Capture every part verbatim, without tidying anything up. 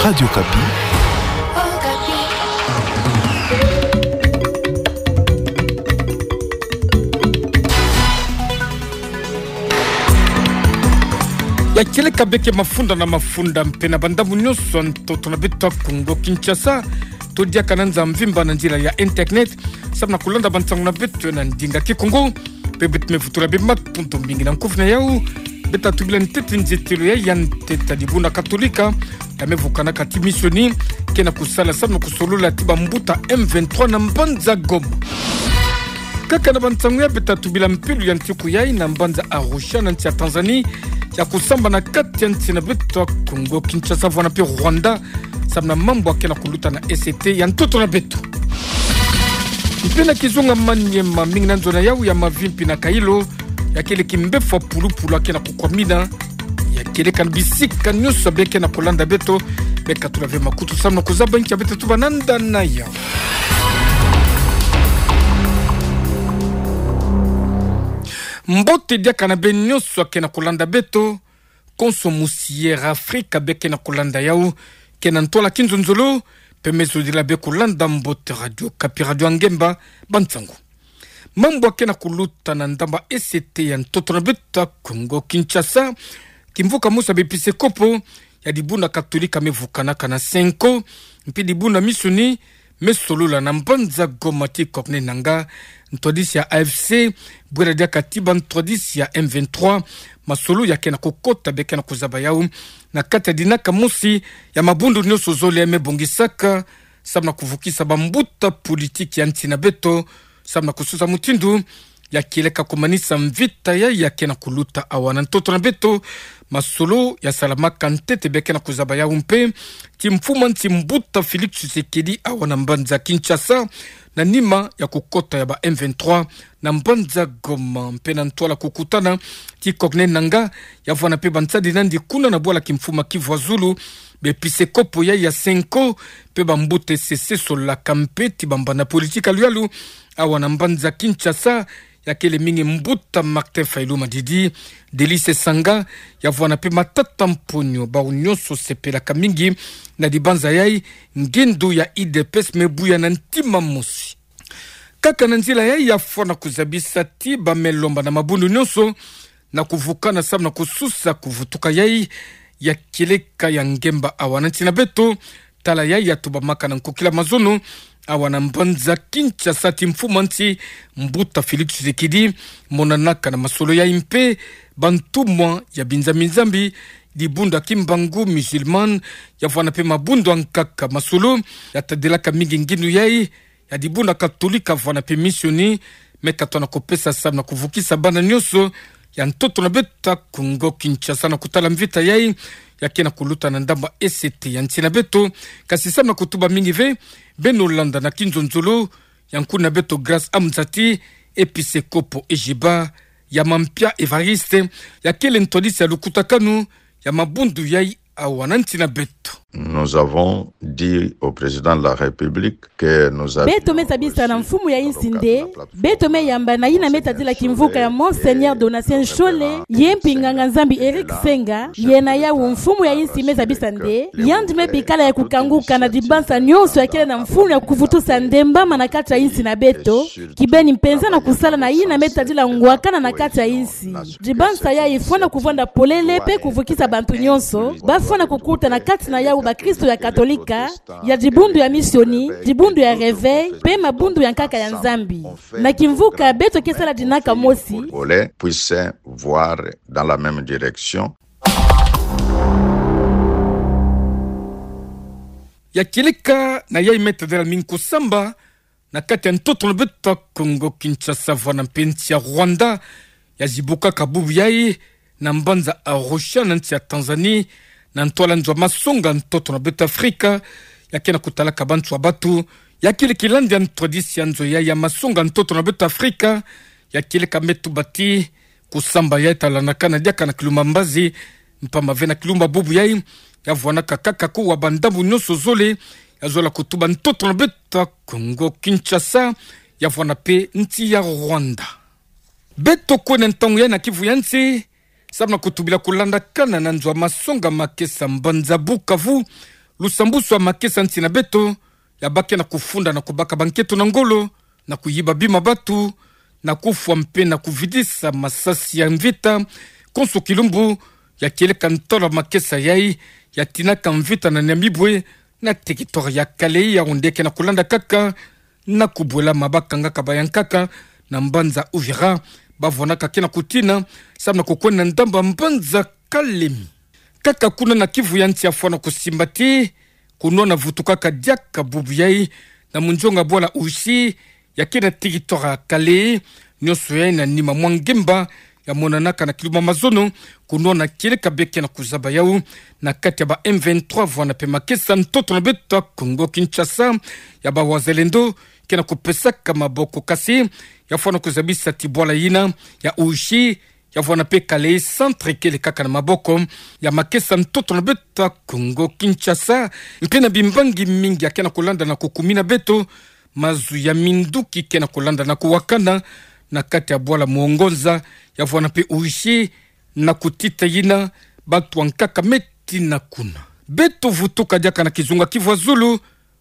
Radio Okapi. Ya kieleka beke mafunda na mafunda mpe na bandambu nyonso ya ntoto na beto ya Kongo Kinshasa, todiaka na nza mvimba na nzila ya internet, samu na kulanda bansangu na beto na ndinga Kikongo. Mpe beto me vutula bê matondo mingi. Na nkufi na yau, beta tubila ntete nzietelo ya, ya ntete ya dibundu Katolika ya me vukanaka ti misioni ke na kusala samu na kusolola ti bambuta M vingt-trois na mbanza Goma. Kaka na bansangu ya, beta tubila mpelo ya ntiku yai na mbanza Arusha na nsi ya Tanzanie, ya kusambana kati ya nsi na beto ya Kongo Kinshasa vwana mpe Rwanda, samu na mambu ya ke na kuluta na E C T ya ntoto na beto. Mpe na kizunga Maniema, mingi na nzo na yau ya Mavimpi na Kailo, ya kieleka mbefo ya pulupulu ya ke na kukwamina. Ya kieleka na bisika nyonso beke na kulanda beto, bekatula ve makutu samu na kuzaba nki ya beta tuba nanda na yau. Mbote diaka na beno nyonso ya ke na kulanda beto, konso musi Yera Afrika beke na kulanda yau, ke na ntwala kinzonzolo, mpe me zodila bê kulanda mbote Radio Okapi, radio ya ngemba bansangu. Mambu ya ke na kuluta na ndambu ya E C T ya ntoto na beto ya Kongo Kinshasa, kimvuka mosi ya bepiskopo ya dibundu Katolika me vukanaka na Cenco, mpe dibundu ya misioni, me solola na mbanza Goma ti Corneille Nangaa, ntwadisi ya A F C, bwela diaka ti bantwadisi ya M vingt-trois, masolo ya ke na kukota beke na kuzaba yau na kati ya dinaka mosi ya mabundu nyonso zole me bongisaka, samu na kuvukisa bambuta politiki ya nsi na beto, samu na kusosa mutindu ya kieleka kumanisa mvita yai ya ke na kuluta awa na ntoto na beto. Masolo ya salamaka ntete beke na kuzaba yau mpe ti mfumu ya nsi mbuta Félix Tshisekedi awa na mbanza Kinshasa, na nima ya kukota ya ba M vingt-trois na mbanza Goma. Mpe na ntwala kukutana ti Corneille Nangaa, ya vwanda mpe bansadi nandi kuna na bwala kimfumu ya Kivu ya Zulu, bepiskopo yai ya Cenco, mpe bambuta E C C, sololaka mpe ti bambanda politiki ya luyalu awa na mbanza Kinshasa, ya kele mingi mbuta Martin Fayulu Madidi, Delice Sangaa, ya vwanda mpe Matata Mponyo, bawu nyonso sepelaka mingi na dibanza yai, ngindu ya U D P S me buya na ntima mosi. Kaka na nzila yai, ya fwana kuzabisa ti ba me lomba na mabundu nyonso na kuvukana samu na kususa kuvutuka yai ya kieleka ya ngemba awa na nsi na beto. Tala yai ya tubamaka na nkokila mazono awa na mbanza Kinshasa ti mfumu ya nsi mbuta Félix Tshisekedi, monanaka na masolo yai mpe bantumwa ya binzambi-nzambi, dibundu ya Kimbangu Musulman, ya vwanda mpe mabundu ya nkaka. Masolo ya tadilaka mingi ngindu yai ya dibundu Katolika vwanda mpe misioni, me katona kupesa samu na kuvukisa bana nyonso ya ntoto na beto ya Kongo Kinshasa na kutala mvita yai ya ke na kuluta na ndambu ya E C T ya nsi na beto. Kasi samu na kutuba mingi ve, beno landa na kinzonzolo ya nkuna beto Grâce Amzati, episekopo Ejiba, ya Mampia Evariste, ya kele ntwadisi ya lukutakanu ya mabundu yai awa na nsi na beto. Nous avons dit au président de la République que nous avions reçu dans le cadre de la plateforme. Beto me zabisa na mfumu ya insi nde beto me yamba na yina me tadila kimvuka ya Monseigneur Donatien Nshole, ye mpi nganga-Nzambi Eric Senga, ye na yawu mfumu ya insi me zabisa nde yandi me bikala ya kukanguka na dibansa nyonso ya kele na mfunu ya kuvutusa ndembama na kati ya insi na beto, kibeni mpenza na kusala na yina me tadila ngwakana na kati ya insi. Dibansa yai fwana kuvwanda polele mpe kuvukisa bantu nyonso, ba fwana kukuta na kati na yawu bakristo ya Katolika, ya dibundu ya misioni, dibundu ya Réveil, mpe mabundu ya nkaka ya Nzambi. Na kimvuka beto ke sala dinaka mosi. Congolais puissent voir dans la même direction. Ya kieleka na yai me tadila mingi kusamba na kati ya ntoto na beto ya Kongo Kinshasa vwana mpe nsi ya Rwanda, ya zibukaka bubu yai na mbanza Arusha na nsi ya Tanzanie, na ntwala nzo ya masonga ntoto na beto Afrika, ya ke na kutalaka banso ya bato. Ya kele kilandi ya ntwadisi ya nzo yai ya masonga ntoto na beto Afrika, ya kieleka me tuba ti kusamba yai talandakana diaka na kilumba mbazi, mpamba ve na kilumba bubu yai, ya vwanaka kaka kuwa bandambu nyonso zole, ya zola kutuba ntoto na beto ya Kongo Kinshasa, ya vwana mpe nsi ya Rwanda. Beto kwenda ntangu yai na kivu ya nsi, samu na kutubila kulandakana na nzo ya masonga makesa mbanza Bukavu, Lusambusu ya makesa nsi na beto, ya baki na kufunda na kubaka bankento na ngolo, na kuyiba bima batu, na kufwa mpe na kuvidisa masasi ya mvita, konso kilumbu, ya kieleka ntolo ya makesa yayi, ya tinaka mvita na Nyamibwe, na territoire ya Kalehe, ya onde ke na kulanda kaka, na kubwela mabaka nga ka bayankaka, na mbanza Uvira, bavwanaka ke na kutina, samu na kukwenda na ndambu ya mbanza Kalemi. Kaka kuna na Kivu ya nsi ya fwana kusimbati, kunwana vutukaka diaka bubu yayi, na munzonga bwala Ushi, ya ke na territoire ya Kalehe, nionso yayi na nima mwa ngemba, ya monanaka na kilumbu ya mazono, kunwana kieleka bie ke na kuzaba yawu, na kati ya ba M vingt-trois vwana mpe makesa ntoto na beto ya Kongo Kinshasa, ya ba wazalendo, ke na kupesaka maboko kasi, ya fwana kuzabisa ti bwala yina, ya Ushi, ya vwana mpe Kalehe centre kele kaka na maboko ya makesa ntoto na beto ya Kongo Kinshasa, mpe na bimbangi mingi ya ke na kulanda na kukumina beto, mazu ya minduki ke na kulanda na kuwakana, na kati ya bwala Muongonza, ya vwana mpe Ushi, na kutita yina, batu ya nkaka me tina kuna. Beto vutuka diaka na kizunga Kivu ya zulu,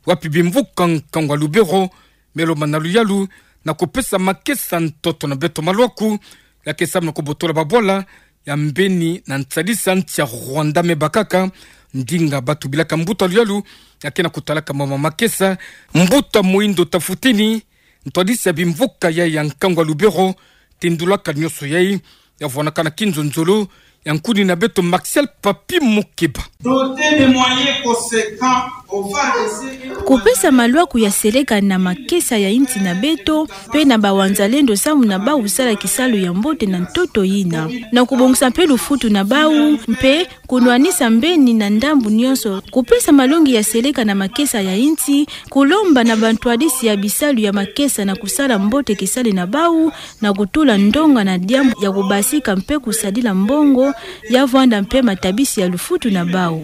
wapi bimvuka nkangu ya Lubero, me lomba na luyalu, na kupesa makesa ntoto na beto malwaku, ya ke samu na kubotola babwala ya mbeni na nsadisa nsi ya Rwanda me bakaka, ndinga batu bilaka mbuta luyalu, ya ke na kutalaka mama makesa, mbuta Moindo Tafutini, ntwadisi ya bimvuka yayi ya nkangu ya Lubero, tendulaka nionso yayi, ya vwanaka na kinzonzolo, ya nkuni na beto Martial Papi Mukeba. Doté de moyens conséquents, on va essayer. Kupesa malwaku ya seleka na makesa ya nsi na beto, mpe na bawazalendo samu na bawu sala kisalu ya mbote na ntoto yina. Na kubongisa mpe lufutu na bawu, mpe kunwanisa mbeni na ndambu nionso. Kupesa malongi ya seleka na makesa ya nsi, kulomba na bantwadisi ya bisalu ya makesa na kusala mbote kisalu na bawu, na kutula ndonga na diambu ya kubasika mpe kusadila mbongo, ya vwanda mpe matabisi ya lufutu na bawu.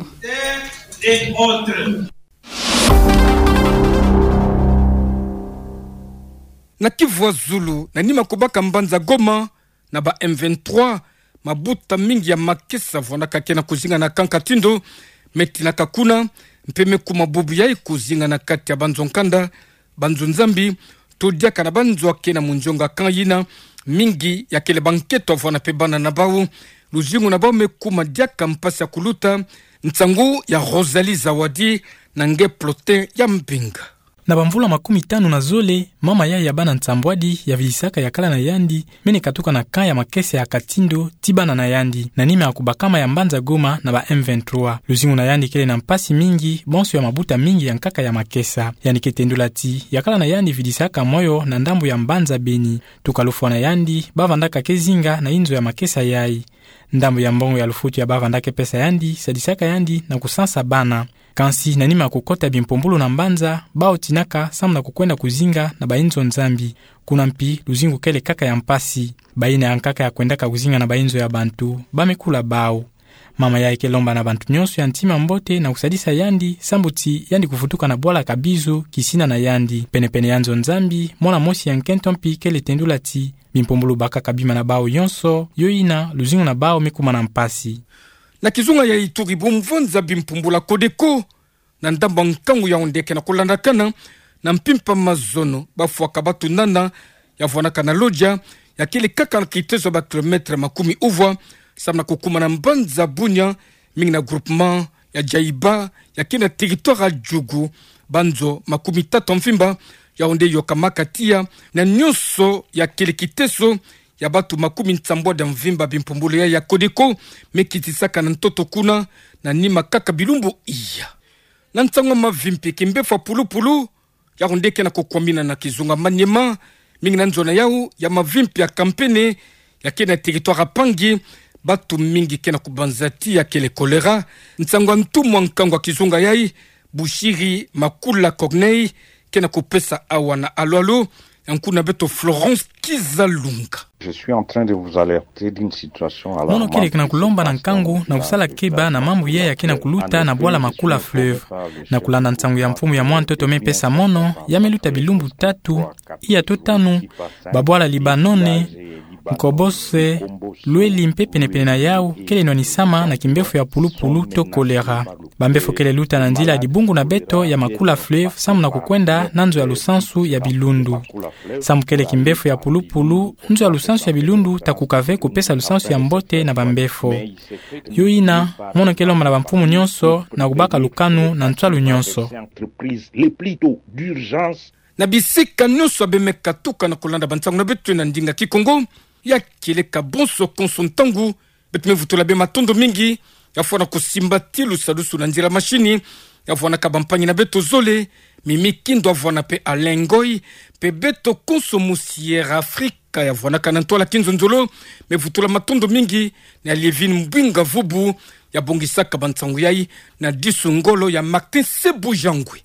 Na Kivu ya zulu, na nima kubaka mbanza Goma, na ba M vingt-trois, mabuta mingi ya makesa vwanaka ke na kuzinga na kanka tindo, me tinaka kuna, mpe me kuma bubu yayi kuzinga na kati ya banzo nkanda, banzo nzambi, to diaka na banzo ya ke na munzonga kan yina, mingi ya kele bankento vwana mpe bana na bawu, luzingu na bawu me kuma diaka mpasi ya kuluta, nsangu ya Rosalie Zawadi, na nge Plotin ya Mbinga. Na bamvula makumi tanu na zole, mama yayi ya bana nsambwadi, ya vidisaka yakala na yandi, mene katuka na camp ya makesa ya Katindo, ti bana na yandi, na nima ya kubakama ya mbanza Goma na ba M vingt-trois. Luzingu na yandi kele na mpasi mingi, bonso ya mabuta mingi ya nkaka ya makesa. Yandi ke tendula ti, yakala na yandi vidisaka moyo na ndambu ya mbanza Beni. Tuka lufwa na yandi, bavandaka ke zinga na inzo ya makesa yayi. Ndambu ya mbongo ya lufutu ya bavandaka ke pesa yandi, sadisaka yandi na kusansa bana. Kansi na nima ya kukota bimpumbulu na mbanza, bawu tinaka samu na kukwenda kuzinga na bainzo nzambi. Kuna mpi, luzingu kele kaka ya mpasi. Bayina ya nkaka ya kwendaka kuzinga na bainzo ya bantu, ba me kula bawu. Mama yayi ke lomba na bantu nionso ya ntima mbote na kusadisa yandi, sambu ti yandi kuvutuka na bwala Kabizo, kisina na yandi. Pene-pene ya nzo nzambi, mwana mosi ya nkento mpi kele tendula ti, bimpumbulu bakaka bima na bawu yonso, yo yina, luzingu na bawu me kuma na mpasi. Na kizunga ya Ituri, bumvonza bimpumbulu ya Codeco, na ndambu ya nkangu ya onde ke na kulandakana, na mpimpa mazono, bafwaka batu nana, ya vwanaka na Lodja, ya kele kaka na kitezo ya ba kilomètre makumi uvwa, samu na kukuma na mbanza Bunia, mingi na groupement ya Djaïba, ya ke na territoire ya Djugu, banzo makumi tatu ya mvimba, ya onde yokamaka tiya, na nionso ya kele kitezo, ya batu makumi nsambwadi ya mvimba bimpumbulu ya, ya Codeco, me kitisaka na ntoto kuna, na nima kaka bilumbu iya. Na nsangu ya mavimpi, kimbefwa pulupulu, ya onde ke na kukwamina na kizunga Maniema, mingi na nzo na yawu ya mavimpi ya Kampene, ya ke na territoire ya Pangi, batu mingi ke na kubanza ti ya kele choléra, nsangu ya ntumu ya nkangu ya kizunga yayi, Bushiri Makula Corneille, ke na kupesa awa na alo-alo, ya nkuna beto Florence Kizalunga. Je suis en train de vous alerter d'une situation alarmante. Mono kele ke na kulomba na nkangu na kusala keba na mambu yayi ya ke na kuluta na bwala Makula Fleuve. Na kulanda nsangu ya mfumu ya mwa ntoto me pesa mono, ya me luta bilumbu tatu, iya to tanu, babwala Libanone, Mkobosse, Lueli mpe penepene na yau kele nwanisama na kimbefo ya pulupulu to kolera. Bambefo kele luta na nzila ya dibungu na beto ya Makula Fleuve samu na kukwenda na nzo ya lusansu ya bilundu. Samu kele kimbefo ya pulupulu, nzo ya lusansu ya bilundu ta kuka ve kupesa lusansu ya mbote na bambefo. Yo ina, mono kele omana bamfumu nyonso na kubaka lukanu na nswalu nyonso. Na bisika nyonso ya bemeka tuka na kulanda bansangu na beto na ndinga Kikongo, ya kieleka bonso konso ntangu, beto me vutula bê matondo mingi, ya fwana kusimba ti lusadusu na nzila mashini, ya fwanaka bampangi na beto zole, Mimi Kindo ya fwana mpe Alain Ngoy, mpe beto konso mu Sierra Africa ya fwanaka na ntwala kinzonzolo, me vutula matondo mingi na Lievine Mbwinga Vubu, ya bongisaka bansangu yai na disu ngolo ya Martin Sebujangwe.